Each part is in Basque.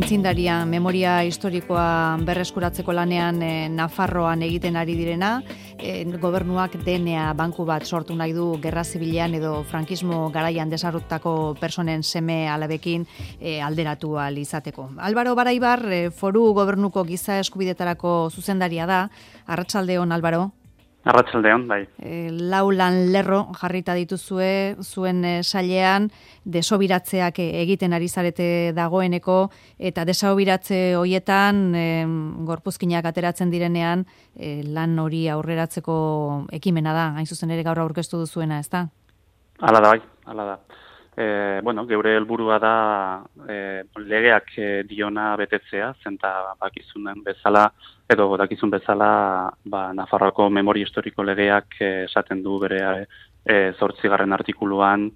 aitzindaria memoria historikoa berreskuratzeko lanean Nafarroan egiten ari direna, gobernuak DNA banku bat sortu nahi du gerra zibilean edo frankismo garaian desarrottako personen seme alabekin alderatu ahal izateko. Álvaro Baraibar, foru gobernuko giza eskubidetarako zuzendaria da. Arratsaldeon, Álvaro. Arratsaldeon, bai. Lau lan lerro jarrita dituzue zuen sailean, desobiratzeak egiten ari zarete dagoeneko, eta desobiratze hoietan gorpuzkinak ateratzen direnean lan hori aurreratzeko ekimena da, hain zuzen ere gaur aurkeztu duzuena, ezta? Hala da, bai, hala da. Geure helburua da legeak diona betetzea, zenta dakizun bezala, Nafarroako memoria historiko legeak esaten du bere 8. artikuluan,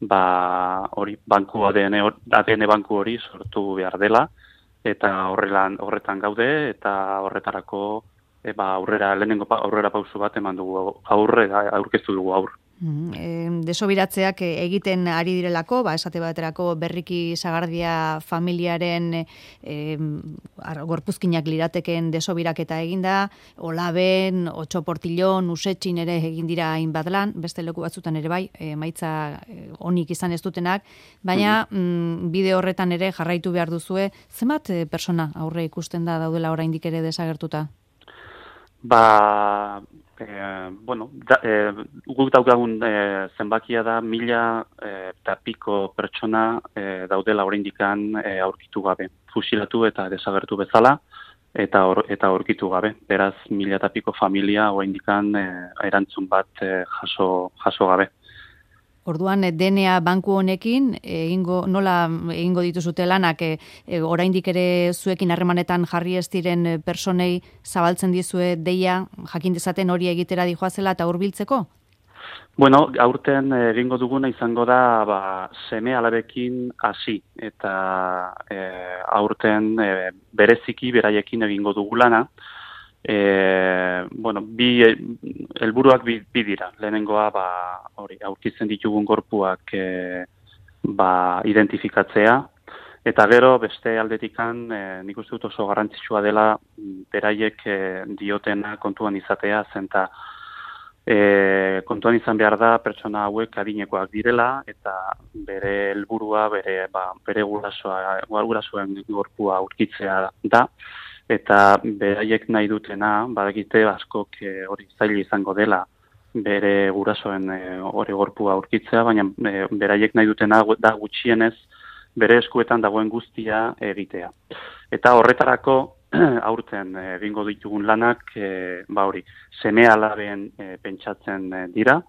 hori banku ADN banku hori sortu behar dela, eta horretan gaude, eta horretarako lehenengo aurrera pausu bat eman dugu aurkeztu dugu aur. Desobiratzeak egiten ari direlako, esate baterako Berriki Sagardia familiaren gorpuzkinak lirateken desobiraketa eginda, Olaben, Otxoportillon, Usetxin ere egin dira hainbat lan, beste leku batzutan ere bai, emaitza onik izan ez dutenak, baina bide horretan ere jarraitu behar duzue, zenbat persona aurre ikusten da daudela oraindik ere desagertuta? Guk daukagun zenbakia da 1000 eta piko pertsona daudela oraindikan aurkitu gabe, fusilatu eta desagertu bezala eta aurkitu gabe. Beraz 1000 eta piko familia oraindikan erantzun bat jaso gabe. Orduan, DNA banku honekin, nola egingo dituzute lanak, oraindik ere zuekin harremanetan jarri ez diren personei zabaltzen dizue deia, jakin dezaten hori egitera dijoazela eta hurbiltzeko? Aurten egingo duguna izango da seme alabekin hasi, eta aurten bereziki beraiekin egingo dugu lana. Helburuak bi dira. Lehenengoa aurkitzen ditugun gorpuak identifikatzea, eta gero beste aldetikan nik uste dut oso garrantzitsua dela beraiek diotena kontuan izatea, zenta kontuan izan behar da pertsona hauek adinekoak direla, eta bere helburua bere gurasoen gorpua aurkitzea da. Eta beraiek nahi dutena, badakite askok hori zaila izango dela bere gurasoen hori gorpua aurkitzea, baina beraiek nahi dutena da gutxienez bere eskuetan dagoen guztia egitea. Eta horretarako aurten egingo ditugun lanak seme alaben pentsatzen dira.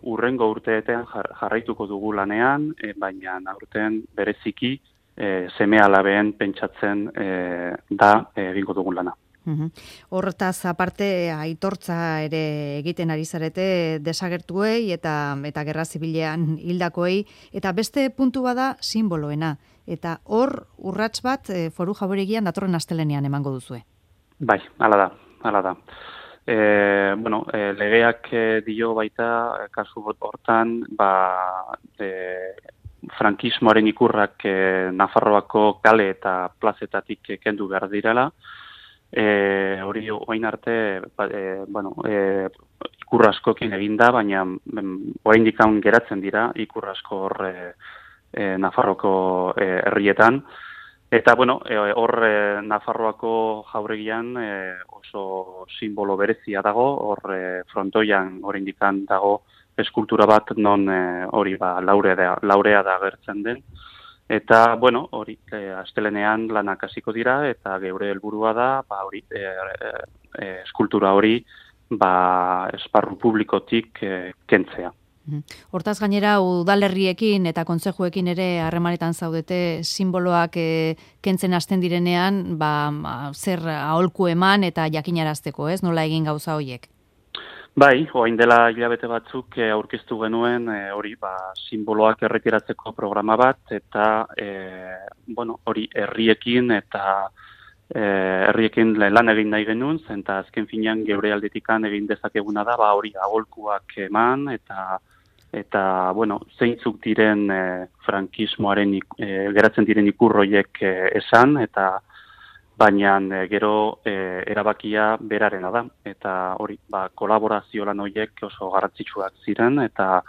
Hurrengo urteetan jarraituko dugu lanean, baina aurten bereziki seme alabeen pentsatzen da egingo dugun lana. Hortaz aparte aitortza ere egiten ari zarete desagertuei eta gerra zibilean hildakoei, eta beste puntua da simboloena, eta hor urrats bat foru jauregian datorren astelenean emango duzue. Bai, hala da. Legeak dio baita kasu hortan frankismoaren ikurrak Nafarroako kale eta plazetatik kendu behar direla. Hori orain arte ikur askokin eginda, baina oraindik geratzen dira ikur asko hor Nafarroako herrietan. Eta hor Nafarroako jauregian oso simbolo berezia dago, hor frontoian oraindik dago eskultura bat non hori laurea da agertzen den. Eta, hori astelenean lanak hasiko dira, eta geure helburua da, eskultura hori esparru publikotik kentzea. Hortaz gainera, udalerriekin eta kontzejuekin ere harremanetan zaudete simboloak kentzen hasten direnean, zer aholku eman eta jakinarazteko, ez? Nola egin gauza horiek? Bai, orain dela hilabete batzuk aurkeztu genuen simboloak erretiratzeko programa bat, eta hori herriekin eta herriekin lan egin nahi genuen, zenta azken finean geure aldetikan egin dezakeguna da, hori aholkuak eman, eta eta, bueno, zeintzuk diren frankismoaren geratzen diren ikurroiek esan, eta baina gero erabakia berarena da, eta hori, kolaborazio lan horiek oso garrantzitsuak ziren, eta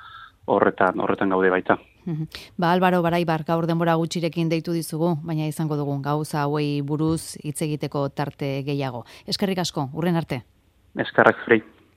horretan gaude baita. Álvaro Baraibar gaur denbora gutxirekin deitu dizugu, baina izango dugu gauza hauei buruz hitz egiteko tarte gehiago. Eskerrik asko, hurren arte. Eskerrak zurei.